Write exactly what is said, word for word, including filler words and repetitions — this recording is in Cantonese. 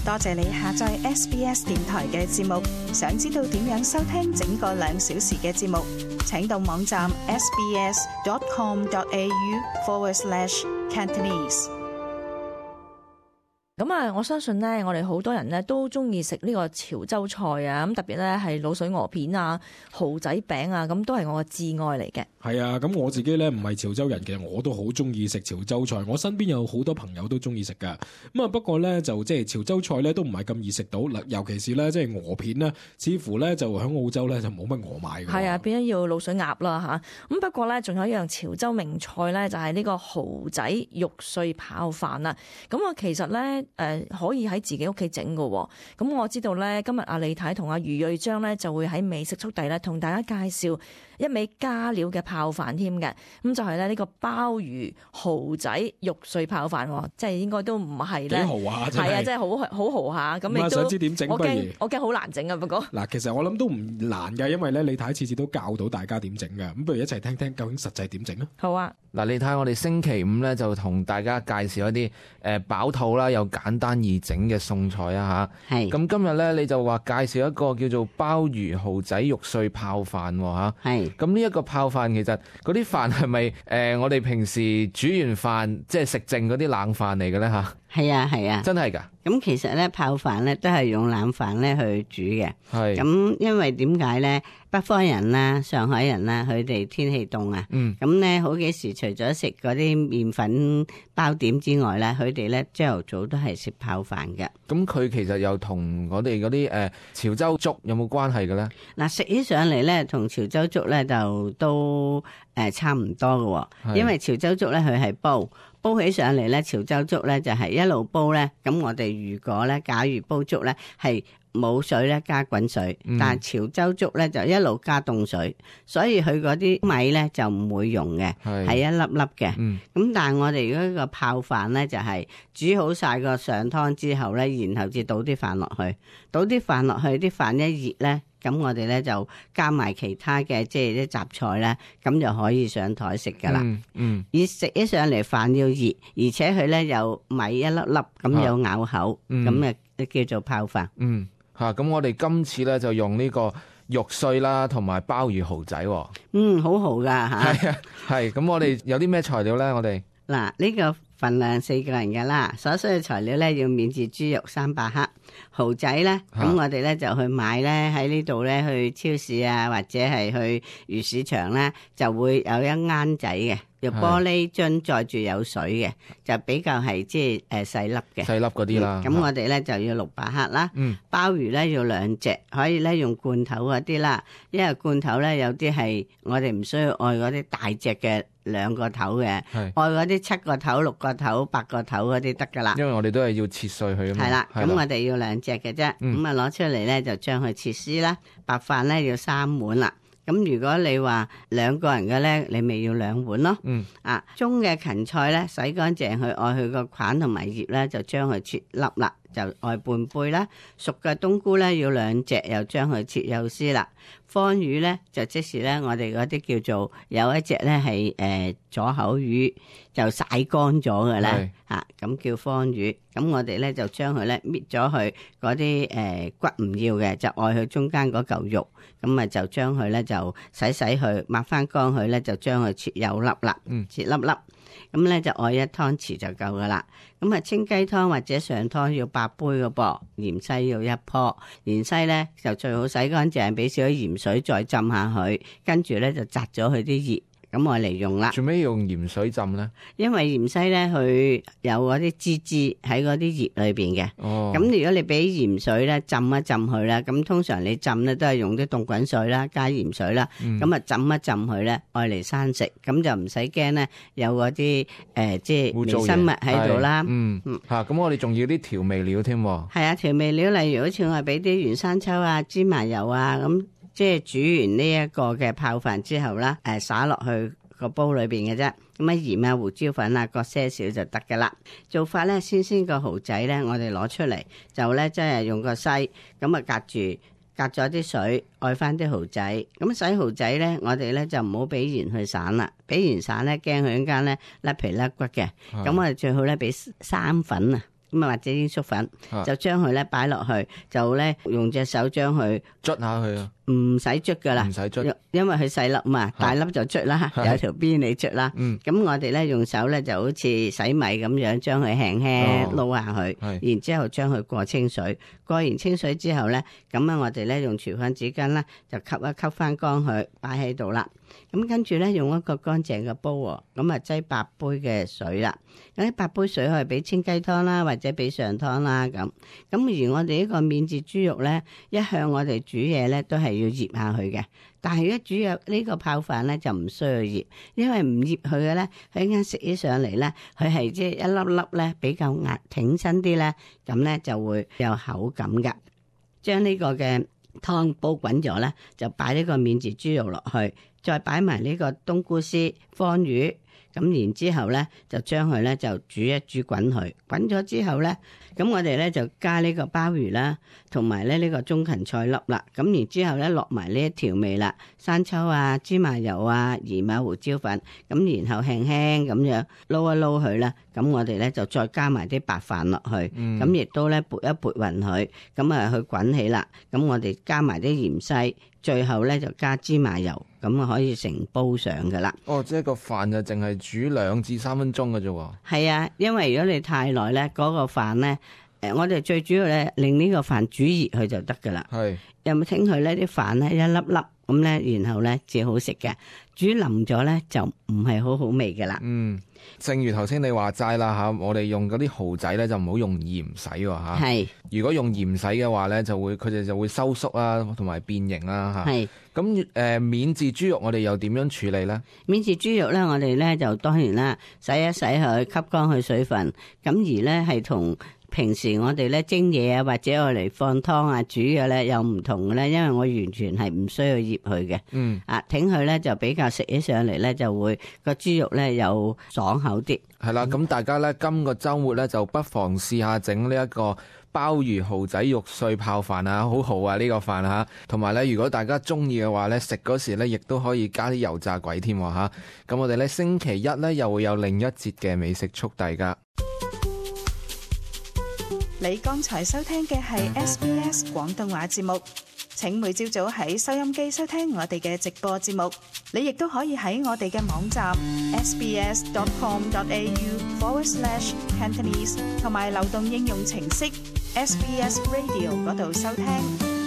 多謝你下載 S B S 電台嘅節目。想知道點樣收聽整個兩小時嘅節目，請到網站 sbs.com.au forward slash Cantonese。咁啊，我相信咧，我哋好多人咧都中意食呢個潮州菜啊，咁特別咧係滷水鵝片啊、蠔仔餅啊，咁都係我嘅摯愛嚟嘅。係啊，咁我自己咧唔係潮州人嘅，我都好中意食潮州菜。我身邊有好多朋友都中意食噶。咁啊，不過咧就即係潮州菜咧都唔係咁易食到，尤其是咧即係鵝片咧，似乎咧就喺澳洲咧就冇乜鵝賣嘅。係啊，變咗要滷水鴨啦吓。咁不過咧，仲有一樣潮州名菜咧，就係呢個蠔仔肉碎泡飯啦。咁我其實咧。誒、呃、可以喺自己屋企整㗎喎，咁我知道咧，今日阿李太同阿余瑞章咧就會喺美食速遞咧同大家介紹一味加料嘅泡飯添嘅，咁就係咧呢個鮑魚蠔仔肉碎泡飯，即係應該都唔係咧，幾豪下真係，係啊，真係好好豪下，咁你都想知點整？我驚我驚好難整啊，不過嗱，其實我諗都唔難嘅，因為咧李太次次都教到大家點整嘅，咁不如一齊聽聽究竟實際點整啊？好啊，嗱，你睇我哋星期五咧就同大家介紹一啲誒飽肚啦又簡單易整嘅餸菜啊吓，係咁今日咧你就話介紹一個叫做鮑魚蠔仔肉碎泡飯吓，係咁呢一個泡飯其實嗰啲飯係咪誒我哋平時煮完飯即係食剩嗰啲冷飯嚟嘅咧吓？係啊係啊，真係噶。咁其實咧泡飯咧都係用冷飯咧去煮嘅。係咁，因為點解咧？北方人啦、上海人啦，佢哋天氣凍啊。嗯。咁咧好幾時除咗食嗰啲麵粉包點之外咧，佢哋咧朝頭早都係食泡飯嘅。咁佢其實又同我哋嗰啲誒潮州粥有冇關係嘅咧？嗱，食起上嚟咧，同潮州粥咧就都誒差唔多嘅，因為潮州粥咧佢係煲。煲起上嚟咧，潮州粥咧就係一路煲咧。咁我哋如果咧，假如煲粥咧係冇水咧，加滾水，嗯、但係潮州粥咧就一路加凍水，所以佢嗰啲米咧就唔會溶嘅，係一粒粒嘅。咁、嗯、但係我哋嗰個泡飯咧就係煮好晒個上湯之後咧，然後至倒啲飯落去，倒啲飯落去，啲飯一熱咧。咁我哋咧就加埋其他嘅即係啲雜菜咧，咁就可以上台食噶啦。嗯，而食起上嚟飯要熱，而且佢咧有米一粒粒咁有咬口，咁啊、嗯、叫做泡飯。嗯，吓咁我哋今次咧就用呢個肉碎啦，同埋鮑魚蠔仔。嗯，好好噶吓。係啊，係咁我哋有啲咩材料咧？我哋嗱呢個份量四個人噶啦，所需嘅材料咧要免治豬肉三百克。蠔仔咧，咁我哋咧就去買咧喺呢度咧去超市啊，或者係去魚市場咧，就會有一罌仔嘅，用玻璃樽載住有水嘅，就比較係即係誒細粒嘅，細粒嗰啲啦。咁、嗯、我哋咧就要六百克啦。嗯，鮑魚咧要兩隻，可以咧用罐頭嗰啲啦，因為罐頭咧有啲係我哋唔需要愛嗰啲大隻嘅兩個頭嘅，愛嗰啲七個頭、六個頭、八個頭嗰啲得噶啦。因為我哋都係要切碎佢啊嘛。係啦，咁我哋要兩隻嘅啫，咁啊攞出嚟咧就將佢切絲啦。白飯咧要三碗啦。咁如果你話兩個人嘅咧，你咪要兩碗咯。嗯。啊，中嘅芹菜咧洗乾淨佢，愛佢個梗同埋葉咧就將佢切粒啦，就愛半杯啦。熟嘅冬菇咧要兩隻，又將佢切幼絲啦。方魚咧就即是咧我哋嗰啲叫做有一隻咧係誒左口魚就曬乾咗嘅咧嚇，咁叫方魚。咁我哋咧就將佢咧搣咗佢嗰啲誒骨唔要嘅，就愛佢中間嗰嚿肉，咁啊就將佢咧就洗洗佢，抹翻乾佢咧就將佢切幼粒啦，切粒粒。咁咧就愛一湯匙就夠噶啦。咁啊清雞湯或者上湯要八杯嘅噃，芫茜要一棵，芫茜咧就最好洗乾淨，俾少少鹽水再浸下佢，跟住咧就摘咗佢啲葉。咁我嚟用啦。做咩用鹽水浸咧？因為芫茜咧，佢有嗰啲枝枝喺嗰啲葉裏邊嘅。哦。咁如果你俾鹽水咧浸一浸佢咧，咁通常你浸咧都係用啲凍滾水啦，加鹽水啦。嗯。咁啊浸一浸佢咧，愛嚟生食，咁就唔使驚咧有嗰啲誒即係微生物喺度啦。嗯。吓，咁我哋仲要啲調味料添。係啊，調味料例如好似我係俾啲原生抽啊、芝麻油啊咁。即係煮完呢一個嘅泡飯之後啦，誒灑落去個煲裏邊嘅啫，咁啊鹽啊胡椒粉啊各些少就得噶啦。做法咧，先先個蠔仔咧，我哋攞出嚟就咧即係用個篩咁啊隔住隔咗啲水，愛翻啲蠔仔。咁洗蠔仔咧，我哋咧就唔好俾鹽去散啦，俾鹽散咧驚佢一間咧甩皮甩骨嘅。咁我哋最好咧俾生粉啊。咁啊或者鷹粟粉，就將佢咧擺落去，就咧用隻手將佢捽下佢啊，唔使捽噶啦，唔使捽，因為佢細粒嘛，大粒就捽啦，有條邊你捽啦。咁、嗯、我哋咧用手咧就好似洗米咁樣，將佢輕輕撈下佢，哦、然之後將佢過清水，過完清水之後咧，咁啊我哋咧用廚房紙巾啦，就吸一吸翻乾佢，擺喺度啦。咁跟住咧用一個乾淨嘅煲，咁啊擠八杯嘅水啦。咁啲八杯水可以俾清雞湯啦，或者俾上湯啦咁。咁而我哋呢個免治豬肉咧，一向我哋煮嘢咧都係要醃下佢嘅。但係一煮肉呢個泡飯咧就唔需要醃，因為唔醃佢嘅咧，佢一陣食起上嚟咧，佢係即係一粒粒咧比較壓挺身啲咧，咁咧就會有口感噶。將呢個嘅湯煲滾咗咧，就擺呢個免治豬肉落去。再擺埋呢個冬菇絲、方魚，咁然之後咧就將佢咧就煮一煮滾佢，滾咗之後咧，咁我哋咧就加呢個鮑魚啦，同埋咧呢個中芹菜粒啦，咁然之後咧落埋呢一調味啦，生抽啊、芝麻油啊、鹽啊、胡椒粉，咁然後輕輕咁樣撈一撈佢啦，咁我哋咧就再加埋啲白飯落去，咁亦、嗯、都咧撥一撥勻佢，咁啊去滾起啦，咁我哋加埋啲芫茜。最後咧就加芝麻油，咁啊可以成煲上噶啦。哦，即係個飯就淨係煮兩至三分鐘嘅啫。係啊，因為如果你太耐咧，嗰、那個飯咧，誒，我哋最主要咧令呢個飯煮熱佢就得噶啦。係是，有冇聽佢咧啲飯咧一粒粒咁咧，然後咧至好食嘅。煮腍咗咧就唔係好好味噶啦。嗯，正如頭先你話齋啦吓，我哋用嗰啲蠔仔咧就唔好用鹽洗喎吓。係是，如果用鹽洗嘅話咧，就會佢哋就會收縮啦，同埋變形啦吓。係是，咁誒、呃、免治豬肉我哋又點樣處理咧？免治豬肉咧，我哋咧就當然啦，洗一洗佢，吸乾佢水分，咁而咧係同平時我哋咧蒸嘢啊，或者我嚟放湯啊煮嘅咧有唔同嘅咧，因為我完全係唔需要醃佢嘅。嗯，啊，挺佢咧就比較食起上嚟咧就會個豬肉咧有爽口啲。係啦，咁大家咧今個週末咧就不妨試下整呢一個鮑魚蠔仔肉碎泡飯啊，好好啊呢、呢個飯嚇。同埋咧，如果大家中意嘅話咧，食嗰時咧亦都可以加啲油炸鬼添喎嚇。咁我哋咧星期一咧又會有另一節嘅美食速遞㗎。你剛才收聽嘅係 S B S 廣東話節目，請每朝早喺收音機收聽我哋嘅直播節目。你亦都可以喺我哋嘅網站 sbs.com.au forward slash Cantonese 同埋流動應用程式 S B S Radio 嗰度收聽。